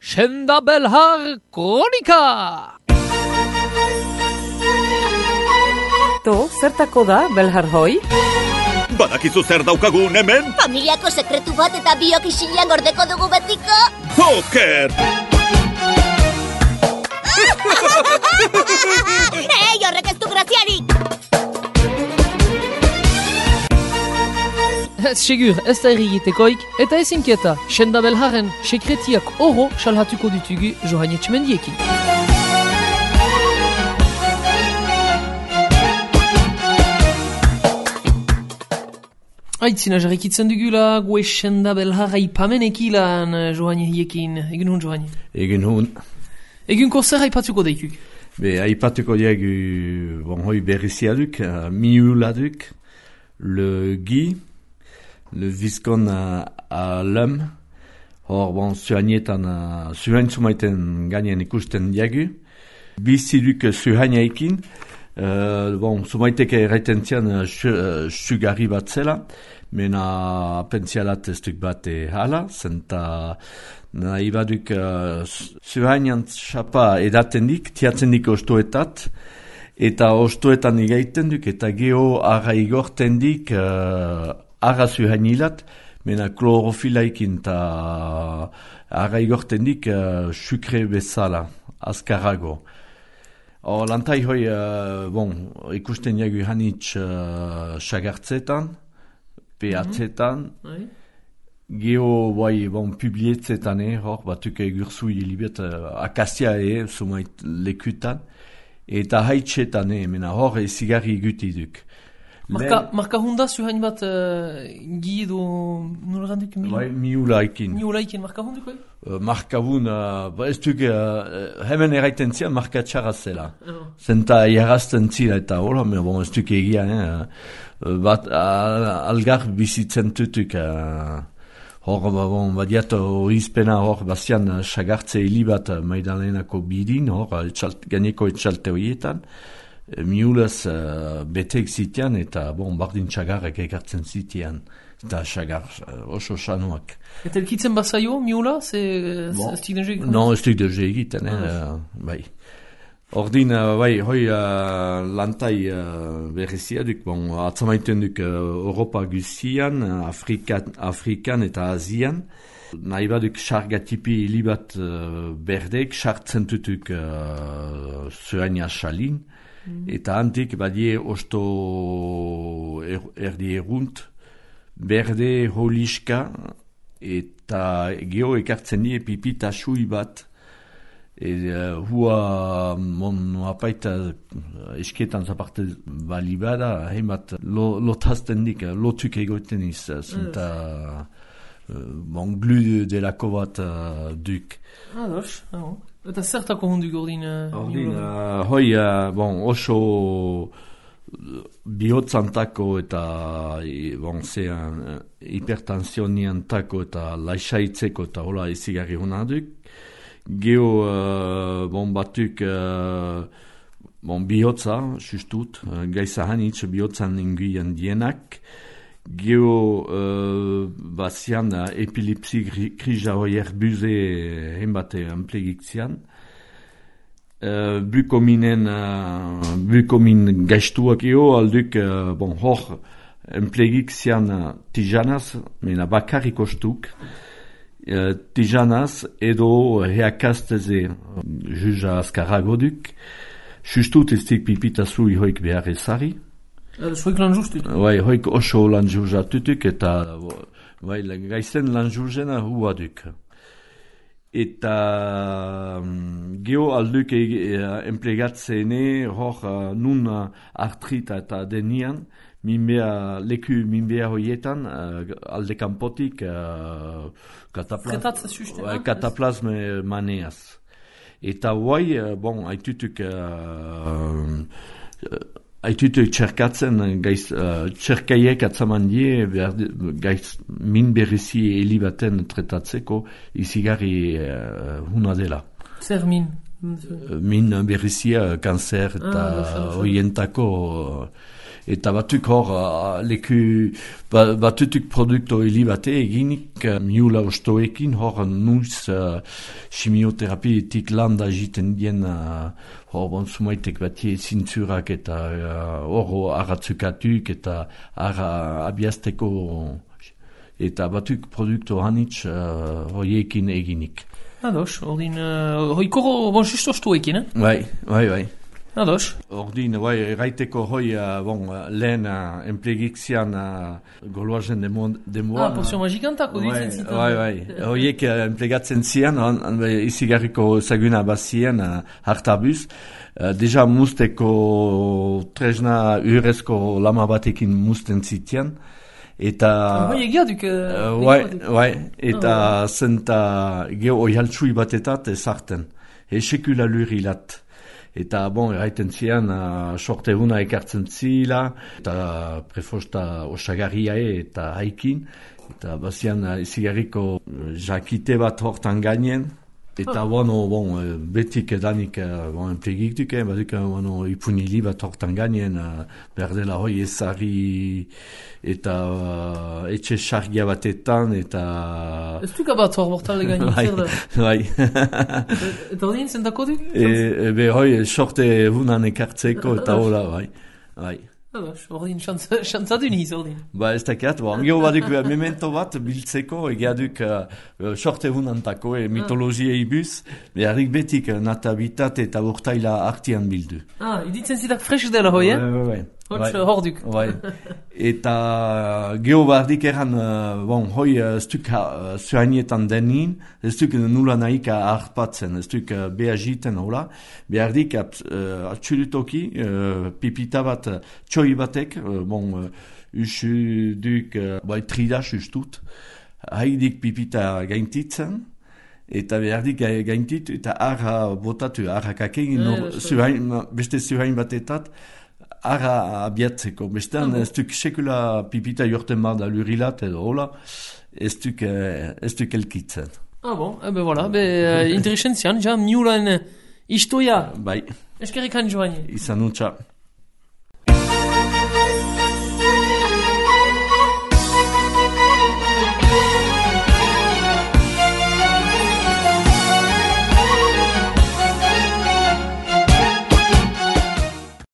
Senda Belhar Kronika! To, zertako da, Belhar hoi? Badakizu zer daukagun hemen? Familiako sekretu bat eta biok isilean gordeko dugu betiko. Joker! Ei, horrek ez du graziarik! Ez segur, ez da errigitekoik, eta ez inkieta, Senda Belharen sekretiak oro salhatuko ditugu Johan Etxemendiekin. Aitzina jarrikitzen dugula, gue Senda Belhar aipamenekilan Johan Etxemendiekin. Egun hon, Johan? Egun hon. Egun zer aipatuko daikuk? Aipatuko diegu, hoi berriziaduk, miuladuk, le Guy, le Viscon à l'homme, hor, zuhanietan, zuhaintzumaiten gainen ikusten diagu, biziduk zuhainaikin, zumaiteke erraitentzian sugarri bat zela, mena pentsialat ez duk bat hala, zenta nahi baduk zuhainian xapa edaten dik, tiatzen dik ostoetat, eta ostoetan igaiten duk, eta geho arra igorten dik, arra zuhainilat, mena klorofilaikin eta arra igorten dik sukre bezala, azkarago. Lantai hoi, ikusten jagu hanitz sagartzetan, pehatzetan, geho publietzetan, hor batuk egurzu hilibet, akazia sumait lekutan, eta haitsetan, mena hor zigarri guti duk. Marka hunda zuhain bat gido nola ganduk? Miulaikin. Miulaikin, marka hunduko? Marka hun, ez duk, hemen erraiten zian marka txarra zela. Zenta jarrazten zila eta hola, ez duk egia, bat algar bizitzen tutuk. Hor, badiat horizpena hor, bazian sagartze hilibat maidalenako bidin, hor, gaineko etxalte horietan. Miulaz betek zitean eta bardin txagarrek ekartzen zitean. Eta txagar oso sanuak. Eta elkitzen bazaio, miula? Ez dik deuze egiten? Non, ez dik deuze egiten, bai. Ordin, hoi lantai berriziaduk, atzamaiten duk Europa guzian, Afrikan eta Azian. Nahi baduk sargatipi hilibat berdek, sartzen tutuk zuhaina salin. Eta antik badie osto erdi erunt, berde holiska, eta geho ekartzen die pipita sui bat, hua apaita esketan zaparte bali bada, heimat lotazten dik, lotuk egoten iz, zenta glu delako bat duk. Ados, eta zertako hunduk ordin? Hoi, oso bihotzantako eta hipertensioniantako eta laixaitzeko eta hola izigarri hona duk. Geho batuk bihotza, sustut, gaiza hanitz bihotzan inguian dienak. Geho bazian epilepsi krija hoier buze henbate amplegik zian. Bukomin gaiztuak geho alduk hor amplegik zian tijanaz, mena bakarrik ostuk. Tijanaz edo heakasteze juja azkarago duk. Sustut ez dik pipitazu ihoik behar ezari. Hoik lan justut? Hoik oso lan juzatutuk eta gaizen lan juzena hua duk. Eta geho alduk emplegatzene hor nun artrita eta denian, leku minbea hoietan alde kanpotik kataplasme maneaz. Eta haitutuk haitutuk txerkatzen txerkaiek atzaman die min berrizi helibaten tretatzeko izigarri huna dela. Zer min? Min berrizia kanzer eta hoientako Eta batuk hor, batutuk produkto hili bate eginik, miula ostoekin, hor nuiz chimioterapietik landa egiten dien, hor sumaitek batie zintzurak eta hor arratzukatuk eta abiazteko, eta batuk produkto hanitz hoiekin eginik. Ados, ordin, hoikoro, justo ostoekin, Bai. Ados. Ordin, erraiteko lehen enplegixian goloazen demoan. Porzio magikantako ditzen zitan. Bai. Hoiek enplegatzen zian, izigarriko zaguna bazien hartabuz. Deja musteko tresna urezko lama batekin musten zitian. Eta... egiaduk... eta zenta geho oihaltsui batetat ezarten. Sekula lurilat. Eta, erraiten zian, sorte huna ekartzen zila, eta prefosta osagarriae eta haikin, eta bazian izigarriko jakite bat hortan gainen, eta, betik edanik, enplegik duke, badik, ipunili bat hortan gainen, berdela hoi ezari, eta etxe sargia batetan, eta... Ez duka bat hor bortale gainen, zer da? Bai. Eta ordin, zentako du? Sorte hunan ekartzeko, eta hola, bai. Ordin, xantzadu niz, ordin. Ez dakiat, angeo baduk memento bat biltzeko, egiaduk sorte hunantako, mitologia ibuz, beharrik betik natabitat eta urtaila artian bildu. Iditzen zidak fresk dela hoi, Bai. Horduk. Eta geho bardik eran, hoi ez duk zuhainietan denin, ez duk nula nahika harpatzen, ez duk behagiten, hola. Behardik atxulutoki, pipita bat, txoi batek, usu duk, tridas ustut, haidik pipita gaintitzen, eta behardik gaintit, eta arra botatu, arra kakegin, beste zuhain batetat, arra abiatzeko. Bestean, ez duk sekula pipita jorten bada lurilat edo hola, ez duk elkitzen. Voilà, interesentzian, ja miulan istoia. Bai. Eskerrik joan. Izan utxa.